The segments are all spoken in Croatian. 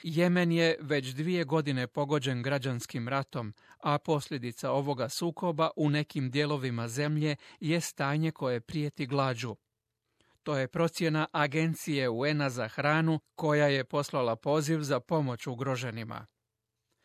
Jemen je već 2 godine pogođen građanskim ratom, a posljedica ovoga sukoba u nekim dijelovima zemlje je stanje koje prijeti glađu. To je procjena Agencije UN-a za hranu koja je poslala poziv za pomoć ugroženima.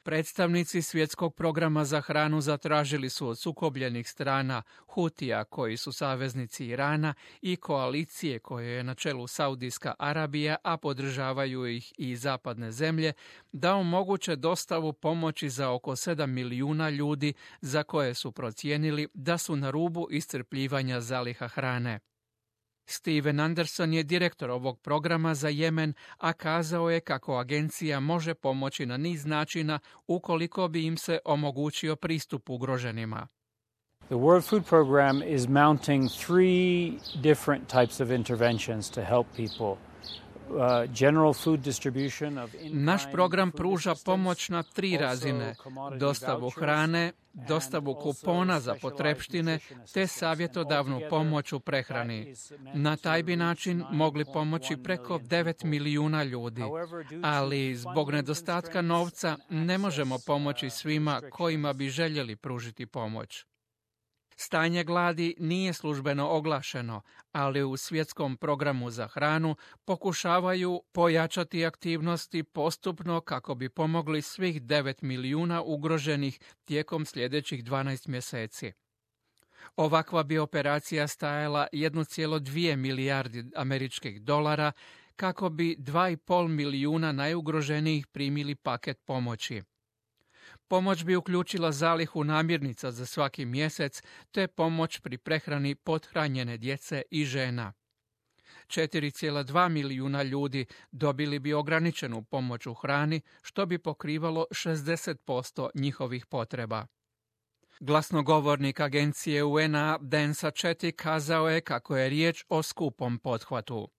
Predstavnici Svjetskog programa za hranu zatražili su od sukobljenih strana Hutija, koji su saveznici Irana, i koalicije koje je na čelu Saudijska Arabija, a podržavaju ih i zapadne zemlje, da omoguće dostavu pomoći za oko 7 milijuna ljudi za koje su procijenili da su na rubu iscrpljivanja zaliha hrane. Steven Anderson je direktor ovog programa za Jemen, a kazao je kako agencija može pomoći na niz načina ukoliko bi im se omogućio pristup ugroženima. The World Food Program is mounting 3 different types of interventions to help people. Naš program pruža pomoć na 3 razine: dostavu hrane, dostavu kupona za potrepštine te savjetodavnu pomoć u prehrani. Na taj bi način mogli pomoći preko 9 milijuna ljudi, ali zbog nedostatka novca ne možemo pomoći svima kojima bi željeli pružiti pomoć. Stanje gladi nije službeno oglašeno, ali u Svjetskom programu za hranu pokušavaju pojačati aktivnosti postupno kako bi pomogli svih 9 milijuna ugroženih tijekom sljedećih 12 mjeseci. Ovakva bi operacija stajala 1,2 milijardi američkih dolara kako bi 2,5 milijuna najugroženijih primili paket pomoći. Pomoć bi uključila zalihu namirnica za svaki mjesec te pomoć pri prehrani pothranjene djece i žena. 4,2 milijuna ljudi dobili bi ograničenu pomoć u hrani, što bi pokrivalo 60% njihovih potreba. Glasnogovornik agencije UN-a Dan Sacchetti kazao je kako je riječ o skupom pothvatu.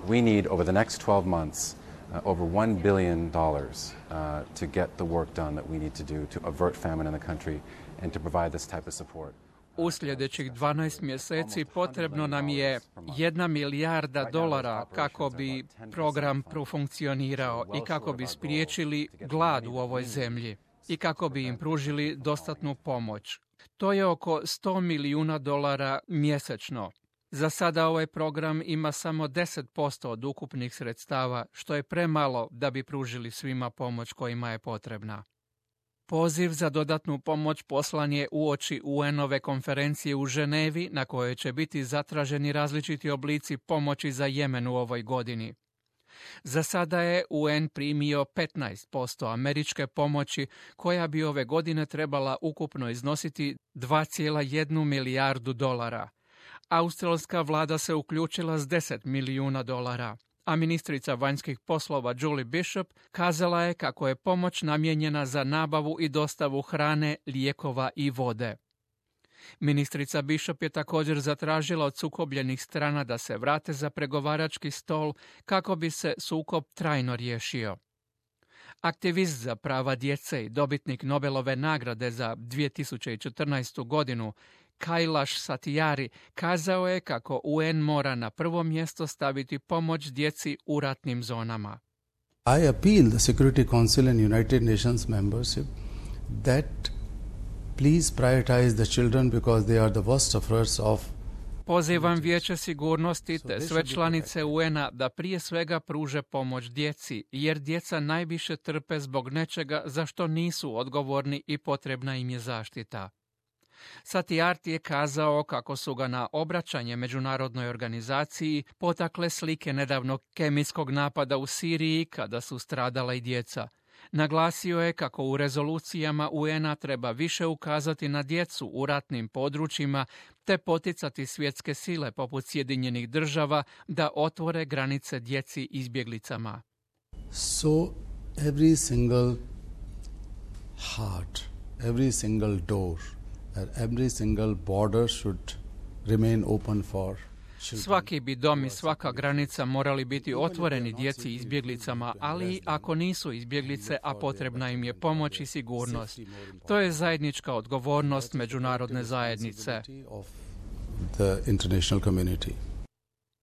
We need over the next 12 months over $1 billion to get the work done that we need to do to avert famine in the country and to provide this type of support. U sljedećih 12 mjeseci potrebno nam je $1 milijarda kako bi program profunkcionirao i kako bi spriječili glad u ovoj zemlji i kako bi im pružili dostatnu pomoć. To je oko $100 milijuna mjesečno. Za sada ovaj program ima samo 10% od ukupnih sredstava, što je premalo da bi pružili svima pomoć kojima je potrebna. Poziv za dodatnu pomoć poslan je uoči UN-ove konferencije u Ženevi, na kojoj će biti zatraženi različiti oblici pomoći za Jemen u ovoj godini. Za sada je UN primio 15% američke pomoći, koja bi ove godine trebala ukupno iznositi $2,1 milijardu. Australska vlada se uključila s $10 milijuna, a ministrica vanjskih poslova Julie Bishop kazala je kako je pomoć namijenjena za nabavu i dostavu hrane, lijekova i vode. Ministrica Bishop je također zatražila od sukobljenih strana da se vrate za pregovarački stol kako bi se sukob trajno riješio. Aktivist za prava djece i dobitnik Nobelove nagrade za 2014. godinu Kailash Satyari kazao je kako UN mora na prvo mjesto staviti pomoć djeci u ratnim zonama. I appeal the Security Council and United Nations membership that please prioritize the children because they are the worst sufferers of. Pozivam Vijeće sigurnosti te sve članice UN-a da prije svega pruže pomoć djeci, jer djeca najviše trpe zbog nečega za što nisu odgovorni i potrebna im je zaštita. Satyarthi je kazao kako su ga na obraćanje međunarodnoj organizaciji potakle slike nedavnog kemijskog napada u Siriji kada su stradala i djeca. Naglasio je kako u rezolucijama UN-a treba više ukazati na djecu u ratnim područjima te poticati svjetske sile poput Sjedinjenih država da otvore granice djeci izbjeglicama. So every single heart, every single door, every single border should remain open for. Svaki bi dom i svaka granica morali biti otvoreni djeci izbjeglicama, ali ako nisu izbjeglice, a potrebna im je pomoć i sigurnost. To je zajednička odgovornost međunarodne zajednice. The international community.